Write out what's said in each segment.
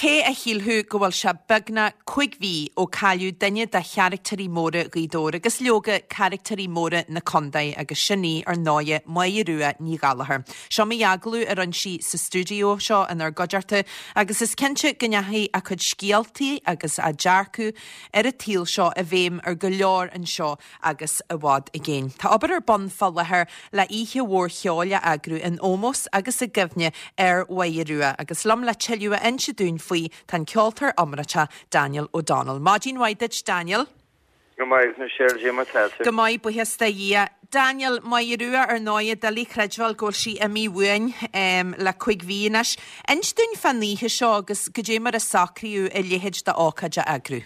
Cé a shílfeadh go bhfuil sé beagnach 5 mhí ó cailleadh duine de charactéirí móra Ghaoth Dobhair agus leoga caractéirí móra na contae agus sin í ar ndóighe Máire Rua Ní Ghallchóir. Seo m'agallamh a rinne sí sa stiúideo seo inár gcuideachta agus is cinnte go ndeachaigh a cuid scéaltaí agus a dearcadh ar an tsaol seo i bhfeidhm ar go leor anseo agus i bhfad i gcéin. Tá obair ar bun fá láthair le oíche mhór cheoil a eagrú in ómós agus i gcuimhne ar Mháire Rua agus liom le tuilleadh a inse dúinn faoi tá an ceoltóir iomráiteach Daniel O'Donnell. Maidin mhaith duit Daniel. Go maith, Michelle, Cad é mar tá tú? Go maith, buíochas do Dhia. Daniel, Máire Rua ar ndóighe, doiligh creidbheáil go bhfuil sí imithe uainn le cuig mhí anois. Inis dúinn fán oíche seo agus goidé mar a socraíodh a leithéid d'ócáid a eagrú.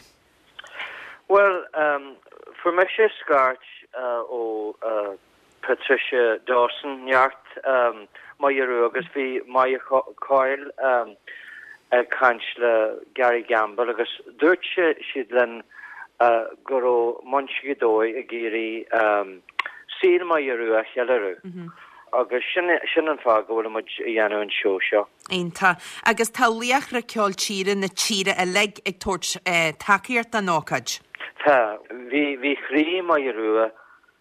Bhuel, fuair mise scairt ó Patricia Dawson, neacht Máire Rua, agus bhí Máire Coyle ag caint le Gary Gamble agus dúirt siad linn go raibh muintir Ghaoth Dobhair ag iarraidh saol Máire Rua a cheiliúradh agus sin an fáth go bhfuil muid ag dhéanamh an seó seo. Iontach. Agus tá laochra ceoil tíre na tíre uilig ag tabhairt tacaíocht don ócáid. Tá. Bhí, bhí croí Máire Rua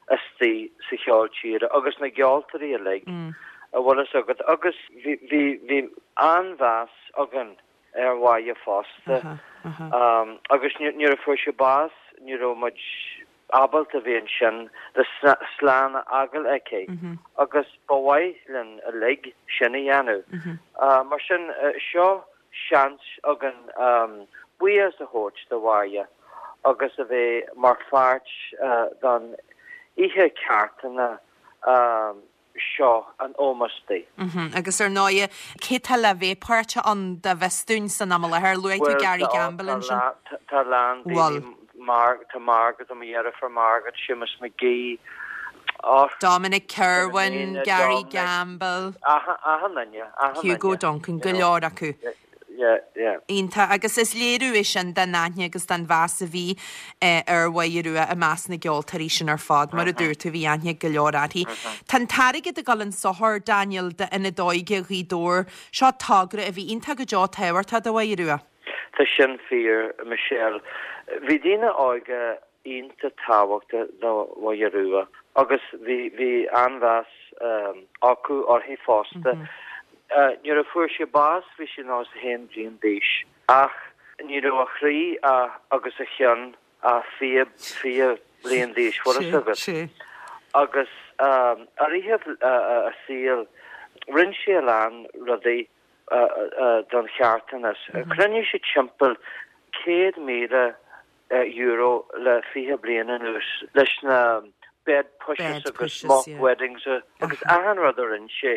istigh sa cheol tíre agus na gceoltóirí uilig, an bhfuil fhios agat, agus bhí, bhí, bhí an-mheas againn ar Mháire fosta. Agus nuair a fuair sí bás ní raibh muid ábalta a bheith ansin le slán a fhágáil aici agus ba mhaith linn uilig sin a dhéanamh. Mar sin, seo seans againn buíochas a thabhairt do Mháire agus a bheith mar pháirt don oíche carthana seo in ómós di. Agus ar ndóighe, cé tá le bheith páirteach ann dá bhfios dúinn san am i láthair? Luaigh tú Gary Gamble ansin. Tá a lán daoine, tá Margaret, mo dheirfiúr Margaret, Séamus McGee, Dominic Kirwan, Gary Gamble, achan duine, achan duine. Hugo Duncan, go leor acu. Yeah, yeah. Iontach. Agus is léiriú é sin den aithne agus den mheas a bhí ar Mháire Rua i measc na gceoltóirí sin ar fad. Mar a dúirt tú, bhí aithne ag go leor uirthi. Tá an t-airgead ag dul in sochar, Daniel, d'Ionad Óige Ghaoth Dobhair. Seo togra a bhí iontach go deo tábhachtach do Mháire Rua. Tá sin fíor, Michelle. Bhí daoine óga iontach tábhachtach do Mháire Rua agus bhí bhí an-mheas acu uirthi fosta. Nuair a fuair sí bás bhí sí 91 bliain d'aois ach ní raibh a chroí agus a cheann ach 20 bliain d'aois, bhfuil fhios agat. Agus i rith a saoil rinne sí a lán rudaí don charthanas. Chruinnigh sí timpeall 100,000 euro le 20 bliain anuas leis na bed pushes agus mock weddings agus achan rud a rinne sí.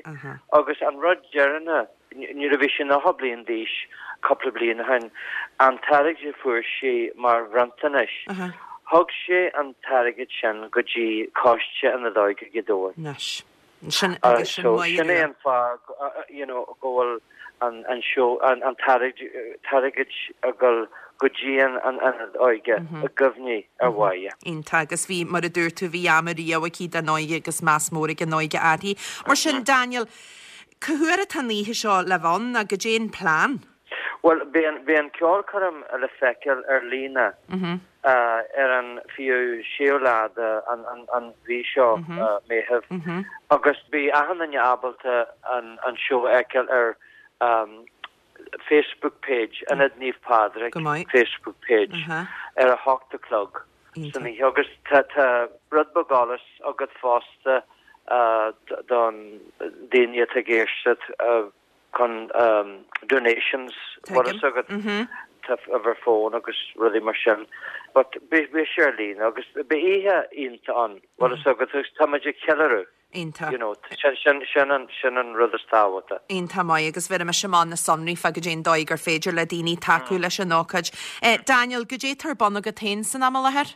Agus an rud deireanach, nuair a bhí sí 90 bliain d'aois, cúpla bliain ó shin, an t-airgead a fuair sí mar bhronntanais, thug sí an t-airgead sin go dtí Coiste Ionad Óige Ghaoth Dobhair. Sin agus sin So Máire sin é Rua. an fáth you know go bhfuil an an seó an an t-airgead ag dul go dtí an an ionad óige i gcuimhne ar Mháire. Iontach agus bhí mar a dúirt tú bhí am riamh aici don óige agus meas mór ag an óige uirthi. Mar sin Daniel, cá huair atá an oíche seo le bheith ann nó goidé an plean? Bhuel, beidh an, beidh an ceolchoirm le feiceáil ar líne ar an 26ú lá de an, an, an mhí seo, Meitheamh, agus beidh achan duine ábalta an, an seó a fheiceáil ar Facebook page Ionad Naomh Pádraig Go maith. Facebook page ar a hocht a chlog san oíche agus tá, tá rud beag eolais agat fosta don daoine atá ag éisteacht. chun donations bhfuil fhios agat tá uimhir fóin agus rudaí mar sin but beidh sé ar líne agus beidh oíche iontach ann bhfuil fhios agat agus tá muid ag ceiliúradh Iontach. you know sin sin sin an sin an rud is tábhachtaí. Iontach maith agus bhéarfaidh mise amach na sonraí fá goidé an dóigh gur féidir le daoine tacú leis an ócáid. Daniel, goidé atá ar bun agat féin san am i láthair?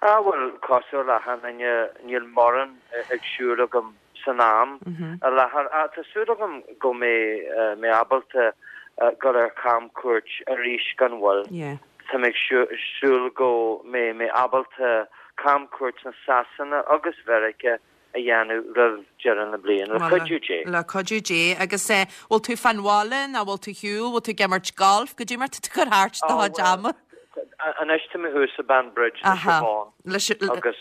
Ah bhuel cosúil le achan duine níl mórán ag siúl agam san am i láthair. Ach tá súil agam go mbeidh mé ábalta dul ar chamchuairt arís gan mhoill. Tá mé ag súil go mbeidh mé ábalta camchuairt na Sasana agus Mheiriceá. a dhéanamh roimh deireadh na bliana, le cuidiú Dé. Le cuidiú Dé. Agus eh, bhfuil tú fán bhaile nó bhfuil tú ar shiúl, bhfuil tú ag imirt golf, goidé mar tá tú ag cur thart do chuid ama? Anois tá mé thuas i Banbridge le Siobhán agus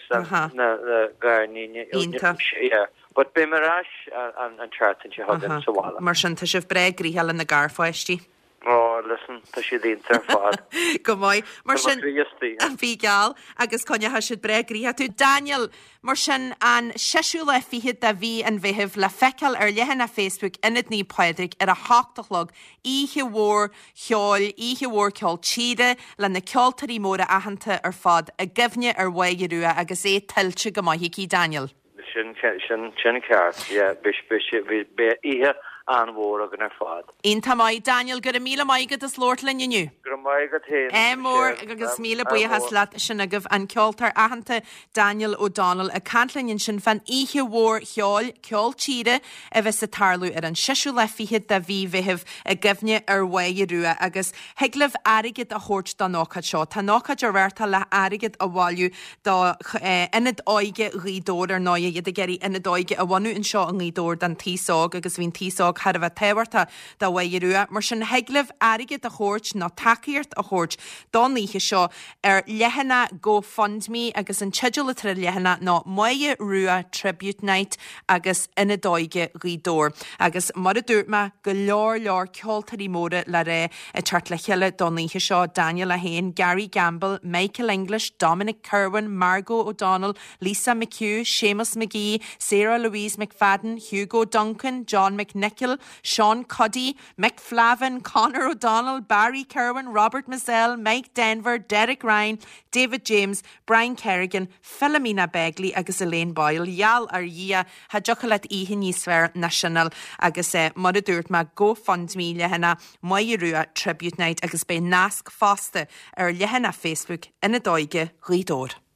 na gariníní. Iontach. Yeah. But beidh mé ar ais an tseachtain seo chugainn sa bhaile. Mar sin, tá sibh breá gnoitheach le na garpháistí. Oh, listen, tá siad iontach ar fad. Go maith. Mar Tá mo sin, chroí istigh. Bhí geall agus coinneoidh siad breá gnoitheach tú. Daniel, mar sin, an seisiú lá fichead de mhí an Mheithimh le feiceáil ar leathanach Facebook Ionad Naomh Pádraig ar a hocht a chlog, oíche mhór cheoil, oíche mhór ceol tíre le na ceoltóirí móra aitheanta ar fad i gcuimhne ar Mháire Rua agus é tuillte go maith aici, Daniel. Sin, sin, sin ceart, yeah. Beidh, beidh sé, beidh, beidh oíche an-mhór againn ar fad. Iontach maith. Daniel, go raibh míle maith agat as labhairt linn inniu. Go raibh maith agat féin, Ádh mór Michelle. agus míle Ádh buíochas mór. leat. Sin agaibh an ceoltóir aitheanta Daniel O'Donnell ag caint linn ansin fán oíche mhór cheoil, ceol tíre, a bheas ag tarlú ar an seisiú lá fichead de mhí Mheithimh i gcuimhne ar Mháire Rua agus thig libh airgead a thabhairt don ócáid seo. Tá an ócáid á reáchtáil le hairgead a bhailiú do Ionad Óige Ghaoth Dobhair, ar ndóigh, iad ag iarraidh ionad óige a bhunú anseo i nGaoth Dobhair don taos óg agus bhí an taos óg thar a bheith tábhachtach do Mháire Rua. Mar sin, thig libh airgead a thabhairt nó tacaíocht a thabhairt don oíche seo ar leathanach GoFundMe agus an teideal atá ar an leathanach ná Máire Rua Tribute Night agus Ionad Óige Ghaoth Dobhair. Agus mar a dúirt mé, go leor leor ceoltóirí móra le rá ag teacht le chéile don oíche seo, Daniel é féin, Gary Gambill, Michael English, Dominic Kirwan, Margo O'Donnell, Lisa McHugh, Séamus McGee, Sarah Louise McFadden, Hugo Duncan, John McNicholl, Sean Cuddy, Mick Flavin, Conor O'Donnell, Barry Kirwan, Robert Mizzell, Mike Denver, Derek Ryan, David James, Brian Kerrigan, Philomena Begley agus Elaine Boyle. Gheall ar Dhia, cha dtiocfadh leat oíche níos fearr ná sin a fháil agus mar a dúirt mé, GoFundMe leathanach Máire Rua Tribute Night agus beidh nasc fosta ar leathanach Facebook Ionad Óige Ghaoth Dobhair.